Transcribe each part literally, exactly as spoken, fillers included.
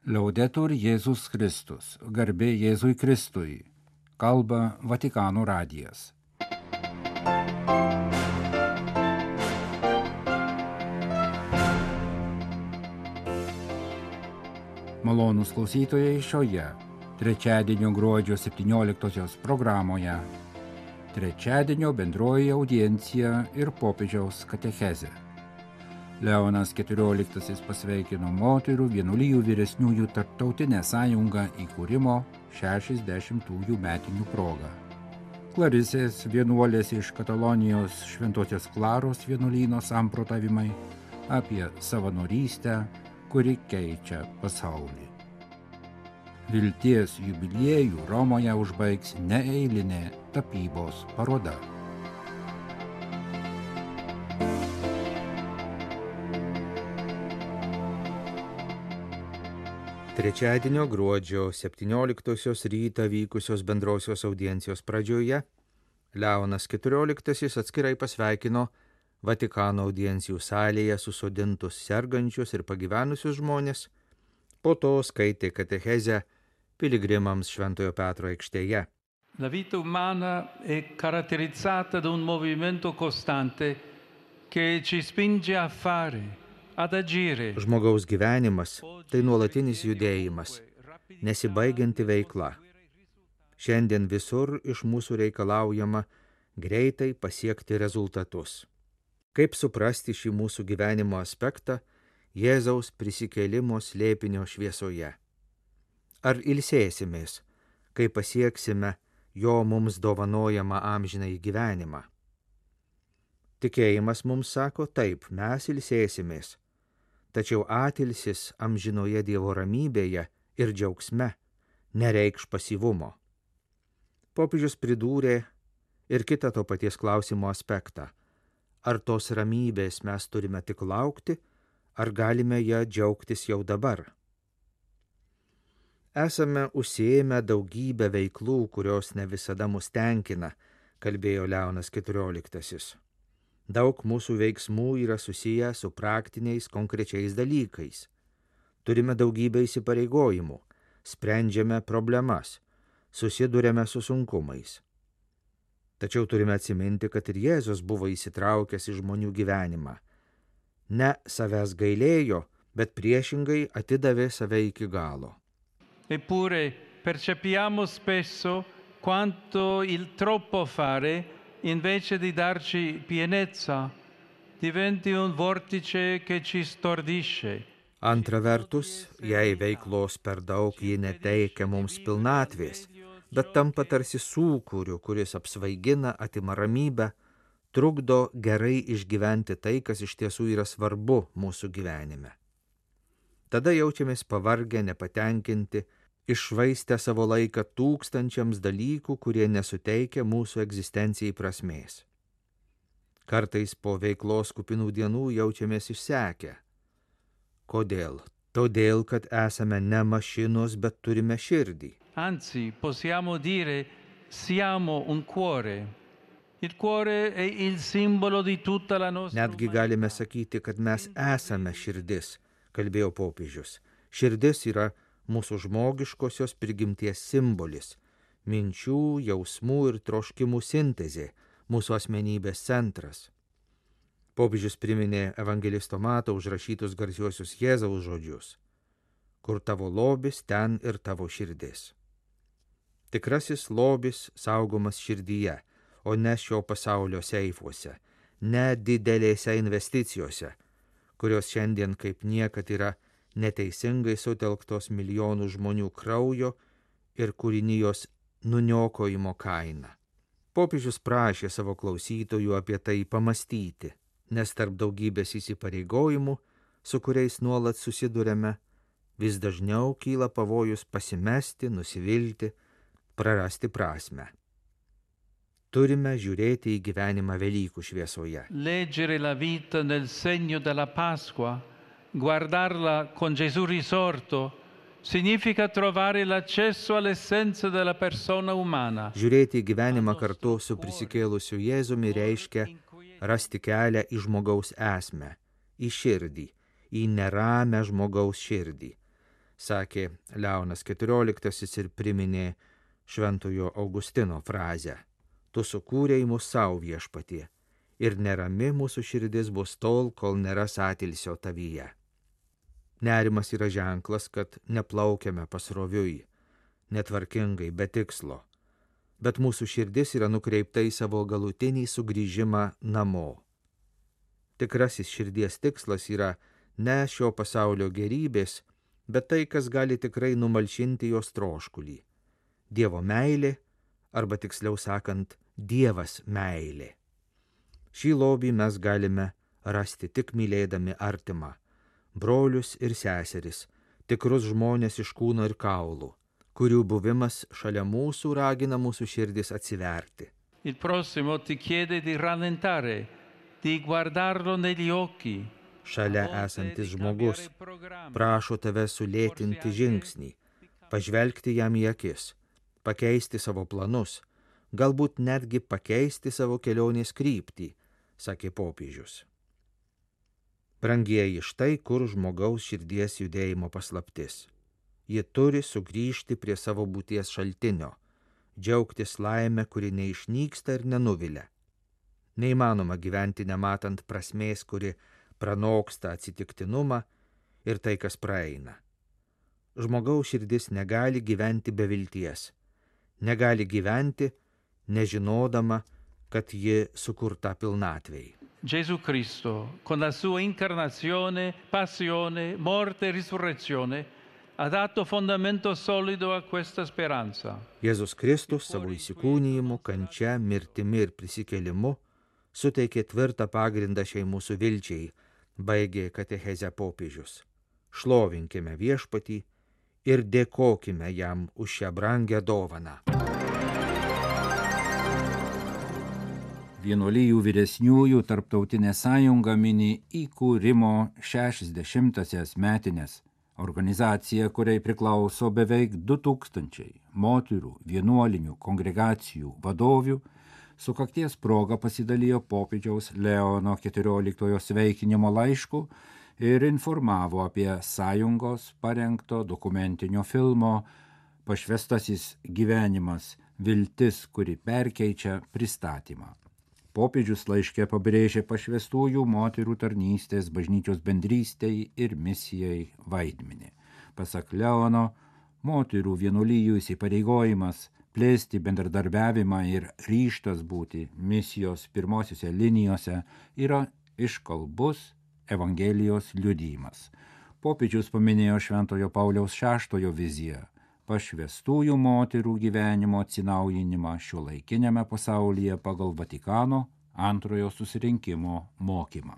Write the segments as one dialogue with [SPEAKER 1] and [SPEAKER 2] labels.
[SPEAKER 1] Laudetur Jėzus Kristus, garbė Jėzui Kristui, kalba Vatikano radijas. Malonūs klausytojai šioje trečiadienio gruodžio septynioliktosios programoje. Trečiadienio bendroji audiencija ir popiežiaus katechezė. Leonas keturioliktasis pasveikino moterų vienuolijų vyresniųjų tarptautinę sąjungą įkūrimo šešiasdešimtųjų metinių proga. Klarisės vienuolės iš Katalonijos Šventosios Klaros vienuolyno samprotavimai apie savanorystę, kuri keičia pasaulį. Vilties jubiliejų Romoje užbaigs neeilinė tapybos paroda.
[SPEAKER 2] Trečiadienio gruodžio septynioliktosios rytą vykusios bendrosios audiencijos pradžioje Leonas keturioliktasis atskirai pasveikino Vatikano audiencijų salėje susodintus sergančius ir pagyvenusius žmonės, po to skaitė katechezę piligrimams Šventojo Petro aikštėje.
[SPEAKER 3] La vita umana è caratterizzata da un movimento costante che ci spinge a fare.
[SPEAKER 2] Žmogaus gyvenimas tai nuolatinis judėjimas, nesibaigianti veikla. Šiandien visur iš mūsų reikalaujama greitai pasiekti rezultatus. Kaip suprasti šį mūsų gyvenimo aspektą Jėzaus prisikėlimo slėpinio šviesoje? Ar ilsėsimės, kai pasieksime jo mums dovanojamą amžinąjį gyvenimą? Tikėjimas mums sako, taip, mes ilsėsimės. Tačiau atilsis amžinoje Dievo ramybėje ir džiaugsme nereikš pasyvumo. Popiežius pridūrė ir kitą to paties klausimo aspektą. Ar tos ramybės mes turime tik laukti, ar galime ją džiaugtis jau dabar? Esame užsiėmę daugybę veiklų, kurios ne visada mus tenkina, kalbėjo Leonas keturioliktasis. Daug mūsų veiksmų yra susiję su praktiniais konkrečiais dalykais. Turime daugybę įsipareigojimų, sprendžiame problemas, susiduriame su sunkumais. Tačiau turime atsiminti, kad ir Jėzus buvo įsitraukęs į žmonių gyvenimą. Ne savęs gailėjo, bet priešingai atidavė save iki galo.
[SPEAKER 3] Eppure percepiamo spesso quanto il troppo fare invece di darci pienezza, diventi un vortice che ci stordisce.
[SPEAKER 2] Antra vertus, jei veiklos per daug ji neteikia mums pilnatvės, bet tampa tarsi sūkuriu, kuris apsvaigina, atima ramybę, trukdo gerai išgyventi tai, kas iš tiesų yra svarbu mūsų gyvenime. Tada jaučiamės pavargę, nepatenkinti, iššvaistę savo laiką tūkstančiams dalykų, kurie nesuteikia mūsų egzistencijai prasmės. Kartais po veiklos kupinų dienų jaučiamės išsekę. Kodėl? Todėl, kad esame ne mašinos, bet turime širdį.
[SPEAKER 3] Anzi, possiamo dire, siamo un cuore. Il cuore è il simbolo di tutta la nostra.
[SPEAKER 2] Netgi galime sakyti, kad mes esame širdis, kalbėjo popiežius. Širdis yra mūsų žmogiškosios prigimties simbolis, minčių, jausmų ir troškimų sintezė, mūsų asmenybės centras. Popiežius priminė evangelisto Mato užrašytus garsiuosius Jėzaus žodžius: kur tavo lobis, ten ir tavo širdis. Tikrasis lobis saugomas širdyje, o ne šio pasaulio seifuose, ne didelėse investicijose, kurios šiandien kaip niekad yra neteisingai sutelktos milijonų žmonių kraujo ir kūrinijos nuniokojimo kaina. Popiežius prašė savo klausytojų apie tai pamastyti, nes tarp daugybės įsipareigojimų, su kuriais nuolat susiduriame, vis dažniau kyla pavojus pasimesti, nusivilti, prarasti prasmę. Turime žiūrėti į gyvenimą Velykų šviesoje.
[SPEAKER 3] Leggere la vita nel segno della Pasqua, guardarla con Gesù risorto, significa trovare l'accesso all'essenza della persona umana.
[SPEAKER 2] Žiūrėti į gyvenimą kartu su prisikėlusiu Jėzumi reiškia rasti kelią į žmogaus esmę, į širdį, į neramę žmogaus širdį. sakė Leonas keturioliktasis ir priminė šventojo Augustino frazę: tu sukūrei mus savo viešpatie, ir nerami mūsų širdis bus tol, kol neras atilsio tavyje. Nerimas yra ženklas, kad neplaukiame pasroviui, netvarkingai, be tikslo, bet mūsų širdis yra nukreipta į savo galutinį sugrįžimą namo. Tikrasis širdies tikslas yra ne šio pasaulio gerybės, bet tai, kas gali tikrai numalšinti jos troškulį. Dievo meilė, arba tiksliau sakant, Dievas meilė. Šį lobį mes galime rasti tik mylėdami artimą, brolius ir seseris, tikrus žmonės iš kūno ir kaulų, kurių buvimas šalia mūsų ragina mūsų širdis atsiverti.
[SPEAKER 3] Il prossimo ti chiede di rallentare, di guardarlo negli occhi.
[SPEAKER 2] Šalia esantis žmogus prašo tave sulėtinti žingsnį, pažvelgti jam į akis, pakeisti savo planus, galbūt netgi pakeisti savo kelionės kryptį, sakė popiežius. Brangieji, štai kur žmogaus širdies judėjimo paslaptis. Ji turi sugrįžti prie savo būties šaltinio, džiaugtis laimę, kuri neišnyksta ir nenuvilia. Neįmanoma gyventi nematant prasmės, kuri pranoksta atsitiktinumą ir tai, kas praeina. Žmogaus širdis negali gyventi be vilties, negali gyventi, nežinodama, kad ji sukurta pilnatvei.
[SPEAKER 3] Gesù Cristo, con la sua incarnazione, passione, morte e risurrezione, ha dato fondamento solido a questa speranza.
[SPEAKER 2] Jėzus Kristus savo įsikūnijimu, kančia, mirtimi ir prisikėlimu suteikė tvirtą pagrindą šiai mūsų vilčiai, baigė katechezę popiežius. Šlovinkime viešpatį ir dėkokime jam už šią brangią dovaną.
[SPEAKER 1] Vienuolijų vyresniųjų tarptautinė sąjunga mini įkūrimo šešiasdešimtąsias metines. Organizacija, kuriai priklauso beveik du tūkstančiai moterų vienuolinių kongregacijų vadovių, sukakties proga pasidalijo popiežiaus Leono keturioliktojo sveikinimo laišku ir informavo apie sąjungos parengto dokumentinio filmo Pašvestasis gyvenimas – viltis, kuri perkeičia pristatymą. Popiežius laiške pabrėžė pašvestųjų moterų tarnystės bažnyčios bendrystei ir misijai vaidmenį. Pasak Leono, moterų vienuolijų įsipareigojimas plėsti bendradarbiavimą ir ryžtas būti misijos pirmosiose linijose yra iškalbus Evangelijos liudijimas. Popiežius paminėjo Šventojo Pauliaus šeštojo viziją – pašvestųjų moterų gyvenimo atsinaujinimą šiuolaikiniame pasaulyje pagal Vatikano antrojo susirinkimo mokymą.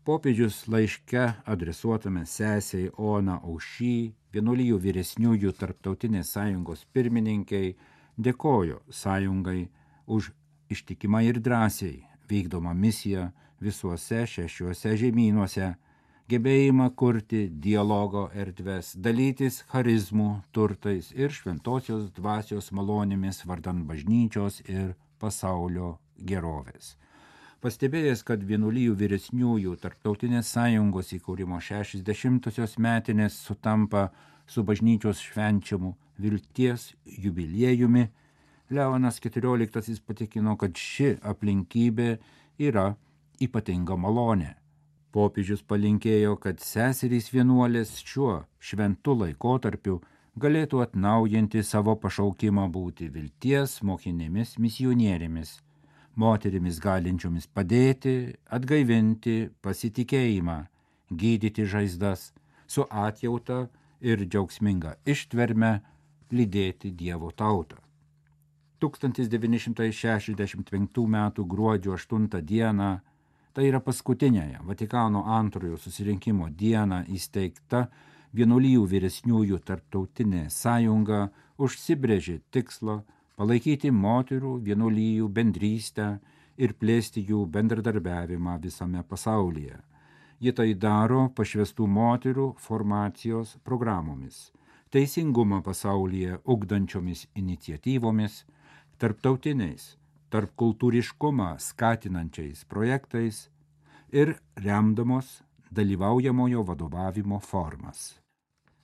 [SPEAKER 1] Popiežius laiške adresuotame sesei Ona Aušy, vienuolijų vyresniųjų tarptautinės sąjungos pirmininkiai, dėkojo sąjungai už ištikimą ir drąsiai vykdomą misiją visuose šešiuose žemynuose, gebėjimą kurti dialogo erdves, dalytis charizmų turtais ir šventosios dvasios malonėmis vardan bažnyčios ir pasaulio gerovės. Pastebėjęs, kad vienuolijų vyresniųjų tarptautinės sąjungos įkūrimo šešiasdešimtosios metinės sutampa su bažnyčios švenčiamu vilties jubiliejumi, Leonas keturioliktasis patikino, kad ši aplinkybė yra ypatinga malonė. Popiežius palinkėjo, kad seserys vienuolės šiuo šventu laikotarpiu galėtų atnaujinti savo pašaukimą būti vilties mokinėmis misionierėmis, moterimis galinčiomis padėti, atgaivinti pasitikėjimą, gydyti žaizdas, su atjauta ir džiaugsminga ištverme lydėti Dievo tautą. tūkstantis devyni šimtai šešiasdešimt penktų metų gruodžio aštuntą dieną, tai yra paskutinėje Vatikano antrojo susirinkimo dieną įsteigta vienuolijų vyresniųjų tarptautinė sąjunga užsibrėžė tikslą palaikyti moterų vienuolijų bendrystę ir plėsti jų bendradarbiavimą visame pasaulyje. Ji tai daro pašvestų moterų formacijos programomis, teisingumą pasaulyje ugdančiomis iniciatyvomis, tarptautiniais, tarpkultūriškumą skatinančiais projektais ir remdamos dalyvaujamojo vadovavimo formas.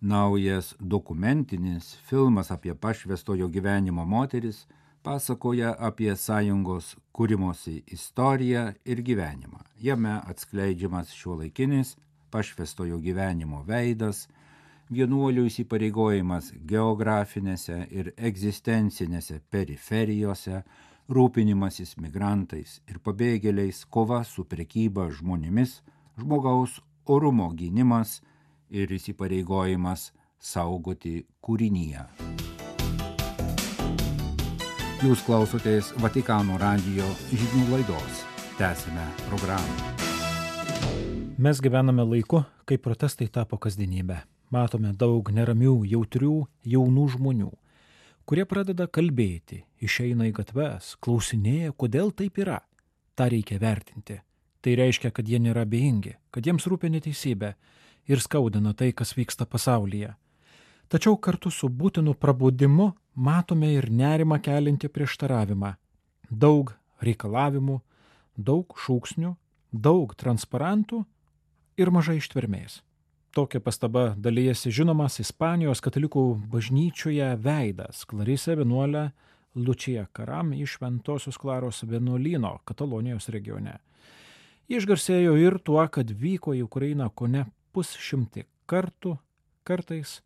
[SPEAKER 1] Naujas dokumentinis filmas apie pašvęstojo gyvenimo moteris pasakoja apie sąjungos kūrimosi istoriją ir gyvenimą. Jame atskleidžiamas šiuolaikinis pašvęstojo gyvenimo veidas, vienuolių įsipareigojimas geografinėse ir egzistencinėse periferijose, rūpinimasis migrantais ir pabėgėliais, kova su prekyba žmonėmis, žmogaus orumo gynimas ir įsipareigojimas saugoti kūriniją. Jūs klausotės Vatikano radijo žinių laidos. Tęsime programą.
[SPEAKER 4] Mes gyvename laiku, kai protestai tapo kasdienybė. Matome daug neramių, jautrių, jaunų žmonių, kurie pradeda kalbėti, išeina į gatves, klausinėja, kodėl taip yra. Ta reikia vertinti. Tai reiškia, kad jie nėra abejingi, kad jiems rūpi neteisybė ir skaudina tai, kas vyksta pasaulyje. Tačiau kartu su būtinu prabudimu matome ir nerimą keliantį prieštaravimą. Daug reikalavimų, daug šūksnių, daug transparantų ir mažai ištvermės. Tokia pastaba dalijasi žinomas Ispanijos katalikų bažnyčioje veidas, klarisė vienuolė Lučija Karam iš Šventosios Klaros vienuolyno Katalonijos regione. Ji išgarsėjo ir tuo, kad vyko į Ukrainą kone pusšimtį kartų, kartais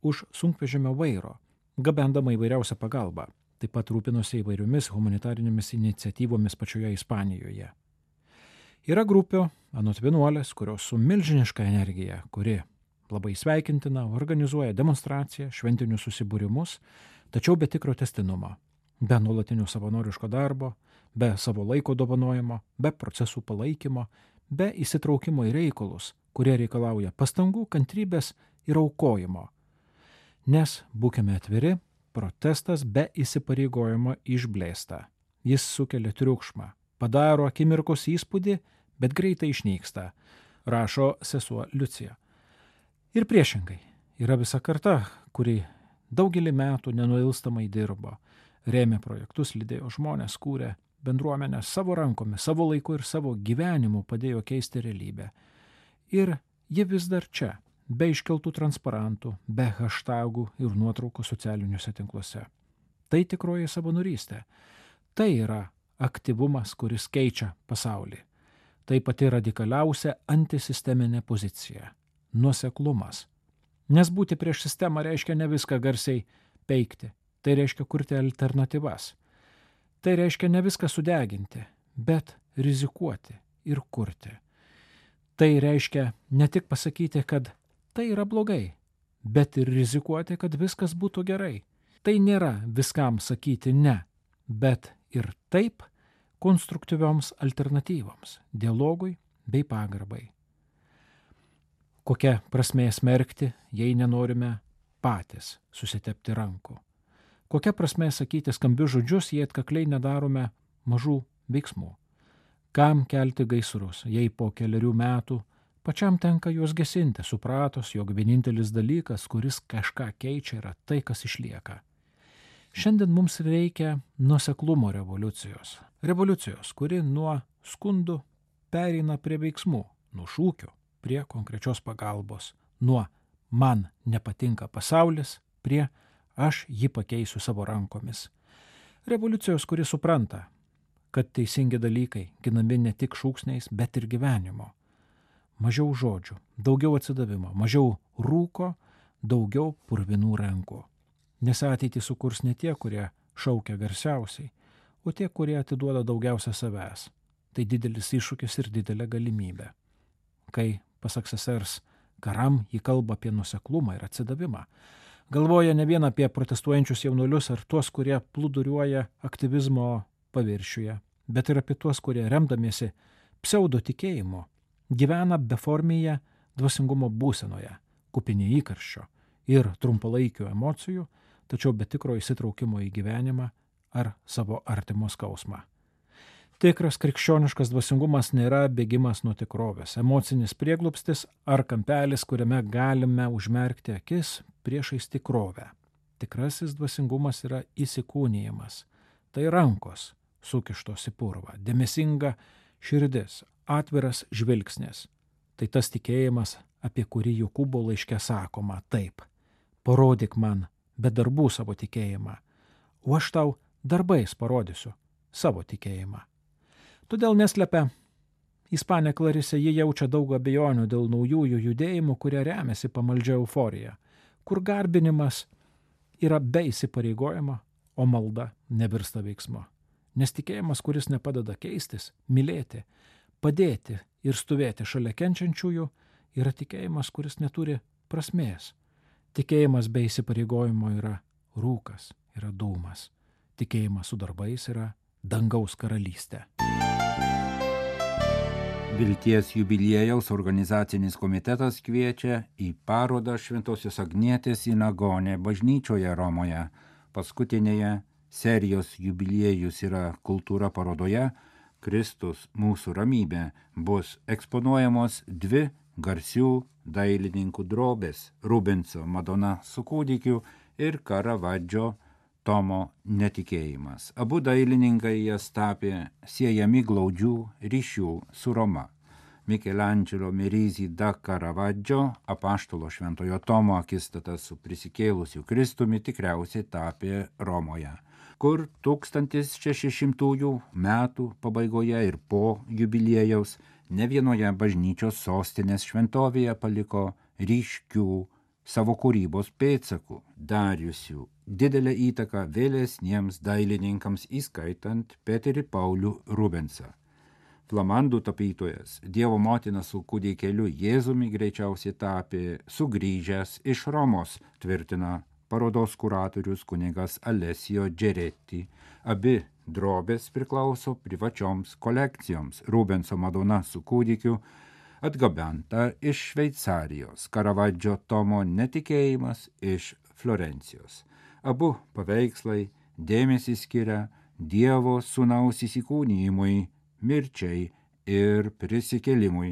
[SPEAKER 4] už sunkvežimio vairo, gabendama įvairiausią pagalbą. Taip pat rūpinosi įvairiomis humanitarinėmis iniciatyvomis pačioje Ispanijoje. Yra grupių, anot vienuolės, kurios su milžiniška energija, kuri labai sveikintina, organizuoja demonstraciją, šventinius susibūrimus, tačiau be tikro tęstinumo, be nuolatinio savanoriško darbo, be savo laiko dovanojimo, be procesų palaikymo, be įsitraukimo į reikalus, kurie reikalauja pastangų, kantrybės ir aukojimo. Nes, būkime atviri, protestas be įsipareigojimo išblėsta. Jis sukelia triukšmą, padaro akimirkos įspūdį, bet greitai išnyksta, rašo sesuo Liucija. Ir priešingai, yra visa karta, kuri daugelį metų nenuilstamai dirbo, rėmė projektus, lydėjo žmonės, kūrė bendruomenę savo rankomis, savo laiku ir savo gyvenimu padėjo keisti realybę. Ir ji vis dar čia, be iškeltų transparantų, be hashtagų ir nuotraukų socialiniuose tinkluose. Tai tikroji savanorystė. Tai yra aktyvumas, kuris keičia pasaulį. Tai pati radikaliausia antisisteminė pozicija – nuoseklumas. Nes būti prieš sistemą reiškia ne viską garsiai peikti, tai reiškia kurti alternatyvas. Tai reiškia ne viską sudeginti, bet rizikuoti ir kurti. Tai reiškia ne tik pasakyti, kad tai yra blogai, bet ir rizikuoti, kad viskas būtų gerai. Tai nėra viskam sakyti ne, bet ir taip konstruktyvioms alternatyvoms, dialogui bei pagarbai. Kokia prasmė smerkti, jei nenorime patys susitepti rankų? Kokia prasmė sakyti skambius žodžius, jei atkakliai nedarome mažų veiksmų? Kam kelti gaisrus, jei po keliarių metų pačiam tenka juos gesinti, supratus, jog vienintelis dalykas, kuris kažką keičia, yra tai, kas išlieka. Šiandien mums reikia nuoseklumo revoliucijos. Revoliucijos, kuri nuo skundų pereina prie veiksmų, nuo šūkių prie konkrečios pagalbos, nuo man nepatinka pasaulis prie aš jį pakeisiu savo rankomis. Revoliucijos, kuri supranta, kad teisingi dalykai ginami ne tik šūksniais, bet ir gyvenimo. Mažiau žodžių, daugiau atsidavimo, mažiau rūko, daugiau purvinų rankų. Nes ateitį sukurs ne tie, kurie šaukia garsiausiai, o tie, kurie atiduoda daugiausia savęs. Tai didelis iššūkis ir didelė galimybė. Kai, pasak sesers Karam, jį kalba apie nuoseklumą ir atsidavimą, galvoja ne vien apie protestuojančius jaunuolius ar tuos, kurie plūduriuoja aktyvizmo paviršiuje, bet ir apie tuos, kurie remdamiesi pseudo tikėjimu gyvena beformėje dvasingumo būsenoje, kupini įkarščio ir trumpalaikių emocijų, tačiau be tikro įsitraukimo į gyvenimą ar savo artimo skausmą. Tikras krikščioniškas dvasingumas nėra bėgimas nuo tikrovės, emocinis prieglobstis ar kampelis, kuriame galime užmerkti akis priešais tikrovę. Tikrasis dvasingumas yra įsikūnijimas. Tai rankos sukištos į purvą, dėmesinga širdis, atviras žvilgsnis. Tai tas tikėjimas, apie kurį Jokūbo laiške sakoma taip: parodyk man be darbų savo tikėjimą, o aš tau darbais parodysiu savo tikėjimą. Todėl neslepia Ispanė Klarisė, ji jaučia daug abejonių dėl naujųjų judėjimų, kurie remiasi pamaldžia euforija, kur garbinimas yra be įsipareigojimo, o malda nevirsta veiksmu. Nes tikėjimas, kuris nepadeda keistis, mylėti, padėti ir stovėti šalia kenčiančiųjų, yra tikėjimas, kuris neturi prasmės. Tikėjimas be įsipareigojimo yra rūkas, yra dūmas. Tikėjimas su darbais yra dangaus karalystė.
[SPEAKER 1] Vilties jubiliejaus organizacinis komitetas kviečia į parodą Šventosios Agnietės Inagonė bažnyčioje Romoje. Paskutinėje serijos jubiliejus yra kultūra parodoje Kristus mūsų ramybė bus eksponuojamos dvi garsių dailininkų drobės – Rubenso Madona su kūdikiu ir Karavadžio Tomo netikėjimas. Abu dailininkai jas tapė siejami glaudžių ryšių su Roma. Michelangelo Merisi da Caravaggio apaštalo Šventojo Tomo akistata su prisikėlusiu Kristumi tikriausiai tapė Romoje, kur tūkstantis šešišimtųjų metų pabaigoje ir po jubiliejaus ne vienoje bažnyčios sostinės šventovėje paliko ryškių savo kūrybos pėdsakų, dariusių didelę įtaką vėlesniems dailininkams, įskaitant Peterį Paulių Rubensą. Flamandų tapytojas Dievo motina su kūdikėliu Jėzumi greičiausiai tapė sugrįžęs iš Romos, tvirtina parodos kuratorius kunigas Alessio Geretti. Abi drobės priklauso privačioms kolekcijoms. Rubenso Madona su kūdikiu atgabenta iš Šveicarijos, Karavadžio Tomo netikėjimas iš Florencijos. Abu paveikslai dėmesį skiria Dievo sūnaus įsikūnijimui, mirčiai ir prisikėlimui,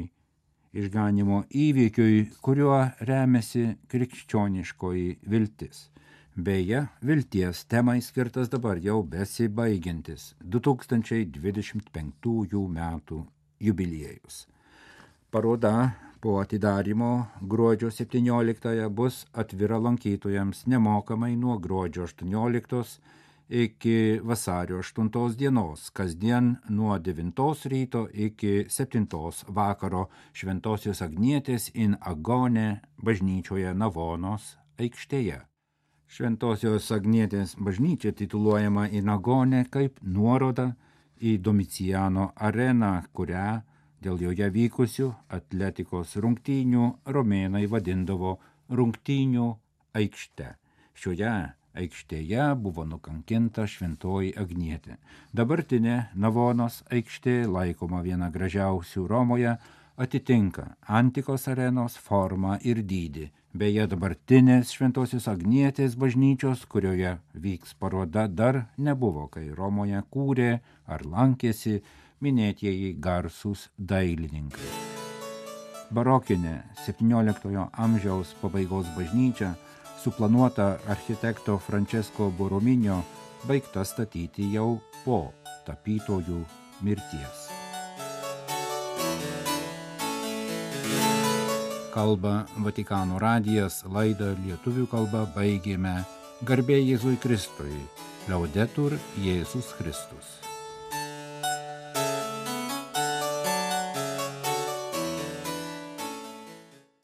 [SPEAKER 1] išganimo įvykiui, kuriuo remiasi krikščioniškoji viltis. Beje, vilties temai skirtas dabar jau besibaigiantis du tūkstančiai dvidešimt penktųjų metų jubiliejus. Paroda po atidarymo gruodžio septynioliktąją bus atvira lankytojams nemokamai nuo gruodžio aštuonioliktos iki vasario aštuntos dienos, kasdien nuo devintos ryto iki septintos vakaro Šventosios Agnietės in Agone bažnyčioje Navonos aikštėje. Šventosios Agnietės bažnyčia tituluojama in Agone kaip nuoroda į Domiciano areną, kurią dėl joje vykusių atletikos rungtynių romėnai vadindavo rungtynių aikšte. Šioje aikštėje buvo nukankinta Šventoji Agnietė. Dabartinė Navonos aikštė, laikoma viena gražiausių Romoje, atitinka antikos arenos formą ir dydį. Beje, dabartinės Šventosios Agnietės bažnyčios, kurioje vyks paroda, dar nebuvo, kai Romoje kūrė ar lankėsi minėtieji garsūs dailininkai. Barokinė septynioliktojo amžiaus pabaigos bažnyčia, suplanuota architekto Francesco Borrominio, baigta statyti jau po tapytojų mirties. Kalba Vatikano radijas, laidą lietuvių kalba baigėme. Garbė Jėzui Kristui. Laudetur Jėzus Kristus.